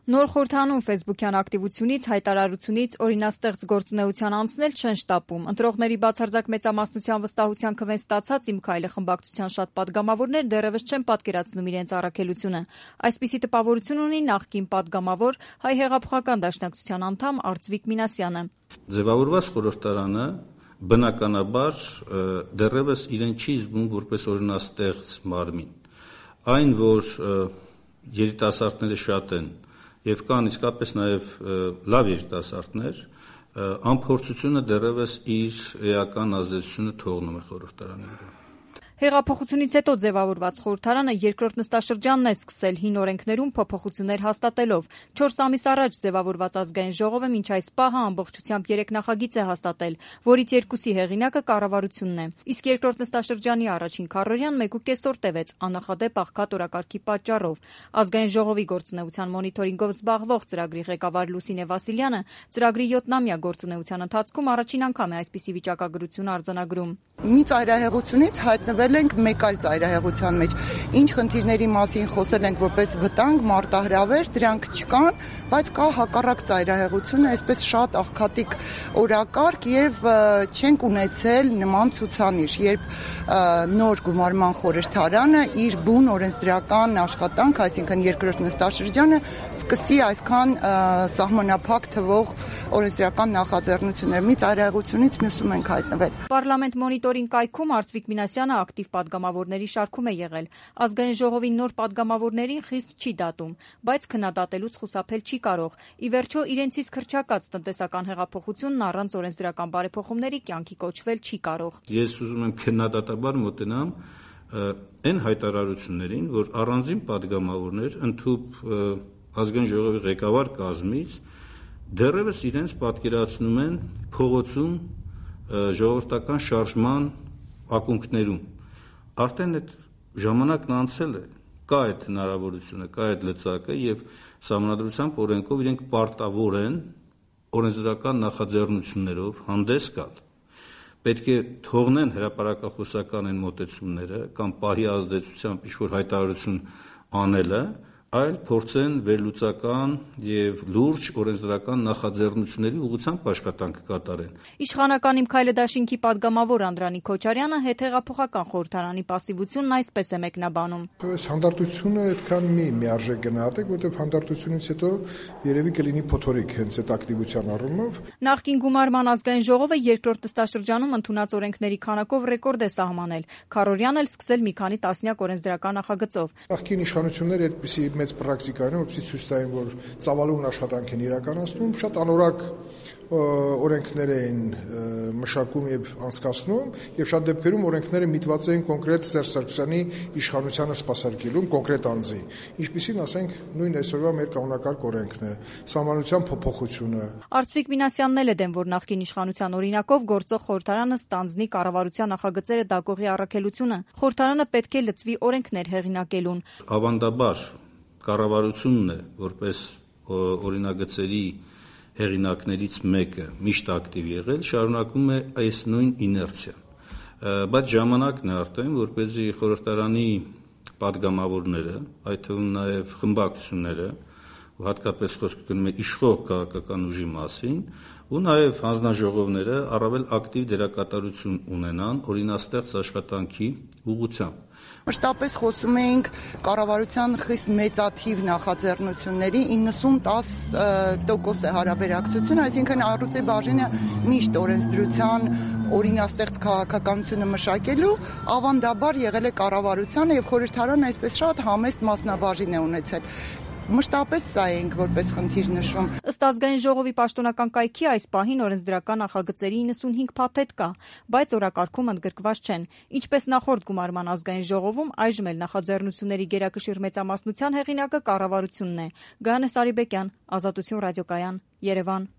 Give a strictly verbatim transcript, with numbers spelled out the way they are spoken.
Նոր խորհրդանում ֆեյսբուքյան ակտիվությունից, հայտարարությունից, օրինաստեղծ գործունեության անցնել չեն շտապում։ Ընտրողների բացարձակ մեծամասնության վստահության քվեն ստացած «Իմ քայլը» խմբակցության շատ պատգամավորներ դեռևս չեն պատկերացնում իրենց առաքելությունը։ Այսպիսի տպավորություն ունի նախկին պատգամավոր, Հայ հեղափոխական դաշնակցության անդամ Արծվիկ Մինասյանը։ Ձևավորված խորհրդարանը բնականաբար դեռևս իրեն չի զգում որպես օրինաստեղծ մարմին։ Այն, որ երիտասարդները շատ են եւ կան իսկապես նաեւ լավ երիտասարդներ, անփորձությունը դեռևս իր էական ազդեցությունը թողնում է խորհրդարանի վրա։ Հեղափոխությունից հետո ձևավորված խորհրդարանը երկրորդ նստաշրջանն է սկսել հին օրենքներում փոփոխություններ հաստատելով։ Չորս ամիս առաջ ձևավորված ազգային ժողովը մինչ այս պահը ամբողջությամբ երեք նախագիծ է հաստատել, որից երկուսի հեղինակը կառավարությունն է։ Իսկ երկրորդ նստաշրջանի առաջին քառորյան մեկուկես օր տևեց աննախադեպ աղքատ օրակարգի պատճառով։ Ազգային ժողովի գործունեության մոնիթորինգով զբաղվող ծրագրի ղեկավար Լուսինե Վասիլյանը ծրագրի յոթնամյա գործունեության ընթացքում առաջին անգամ է այսպիսի վիճակագրություն արձանագրում։ Մի ծայրահեղությունից հայտնվել ենք մեկ այլ ծայրահեղության մեջ։ Ինչ խնդիրների մասին խոսել ենք որպես վտանգ, մարտահրավեր, դրանք չկան, բայց կա հակառակ ծայրահեղությունը, այսպես շատ աղքատիկ օրակարգ եւ չենք ունեցել նման ցուցանիշ, երբ նոր գումարման խորհրդարանը իր բուն օրենսդրական աշխատանք, այսինքն երկրորդ նստաշրջանը սկսի այսքան սահմանափակ թվող օրենսդրական նախաձեռնություններ։ Մի ծայրահեղությունից մյուսում ենք հայտնվել։ Պարլամենտ մոնիտորինգ կայքում Արծվիկ Մինասյանը ակտիվ պատգամավորների շարքում է եղել։ Ազգային ժողովի նոր պատգամավորներին խիստ չի դատում, բայց քննադատելուց խուսափել չի կարող։ Ի վերջո իրենցից քրչակած տնտեսական հեղափոխությունն առանց օրենսդրական բարեփոխումների կյանքի կոչվել չի կարող։ Ես ուզում եմ քննադատաբար մոտենամ այն հայտարարություններին, որ առանձին պատգամավորներ ընդհուպ ազգային ժողովի ղեկավար կազմից դեռևս իրենց պատկերացնում են փողոցում ժողովրդական շարժման ակունքներում։ Արդեն այդ ժամանակն անցել է, կա այդ հնարավորությունը, կա այդ լծակը եւ Սահմանադրությամբ օրենքով իրենք պարտավոր են օրենսդրական նախաձեռնություններով հանդես գալ։ Պետք է թողնեն հրապարակախոսական այն մոտեցումները կամ պահի ազդեցությամբ ինչ-որ հայտարարություն անելը, այլ փորձեն վերլուծական եւ լուրջ օրենսդրական նախաձեռնությունների ուղղությամբ աշխատանք կատարեն։ Իշխանական «Իմ քայլը» դաշինքի պատգամավոր Անդրանիկ Քոչարյանը հետհեղափոխական խորհրդարանի պասիվությունն այսպես է մեկնաբանում։ Այս հանդարտությունը այդքան մի միարժեք գնահատեք, որտեղ հանդարտությունից հետո երևի կլինի փոթորիկ հենց այդ ակտիվության առումով։ Նախկին գումարման ազգային ժողովը երկրորդ նստաշրջանում ընդունած օրենքների քանակով ռեկորդ է սահմանել։ Քառորյանն էլ սկսել մի քանի տասնյակ օրենսդրական նախագծով։ Նախկին իշխանությունները այդպիսի մեծ պրակտիկա են, որպեսզի ցույց տային, որ ծավալուն աշխատանք են իրականացնում, շատ անորակ օրենքներ էին մշակում եւ անցկացնում, եւ շատ դեպքերում օրենքները միտված էին կոնկրետ Սերժ Սարգսյանի իշխանությանը սպասարկելուն կոնկրետ անձի, ինչպիսին ասենք նույն այսօրվա մեր կանոնակարգ օրենքն է, սահմանության փոփոխությունը։ Արծվիկ Մինասյանն էլ է դեմ, որ նախկին իշխանության օրինակով գործող խորհրդարանը ստանձնի կառավարության նախագծերը դակողի առաքելությունը։ Խորհրդարանը պետք է լծվի օրենքներ հեղինակելուն։ Ավանդաբար կառավարությունն է որպես օրինագծերի հեղինակներից մեկը միշտ ակտիվ եղել, շարունակում է այս նույն իներցիան, բայց ժամանակն է արդեն, որպեսզի խորհրդարանի պատգամավորները, այդ թվում նաև խմբակցությունները, հատկապես խոսքը գնում է իշխող քաղաքական ուժի մասին, ու նաև հանձնաժողովները առավել ակտիվ դերակատարություն ունենան օրինաստեղծ աշխատանքի ուղղությամբ։ Մշտապես խոսում էինք կառավարության խիստ մեծաթիվ նախաձեռնությունների իննսուն տաս տոկոս է հարաբերակցությունը, այսինքն առյուծի բաժինը միշտ օրենսդրության օրինաստեղծ քաղաքականությունը մշակելու ավանդաբար եղել է կառավարությանը եւ խորհրդարանը այսպես շատ համեստ մասնաբաժին է ունեցել։ Մշտապես սա ենք որպես խնդիր նշում։ Ըստ ազգային ժողովի պաշտոնական կայքի այս պահին օրենսդրական նախագծերի իննսունհինգ փաթեթ կա, բայց օրակարգում ընդգրկված չեն։ Ինչպես նախորդ գումարման ազգային ժողովում, այժմ էլ նախաձեռնությունների գերակշիռ մեծամասնության հեղինակը կառավարությունն է։ Գայանե Սարիբեկյան, Ազատություն ռադիոկայան, Երևան։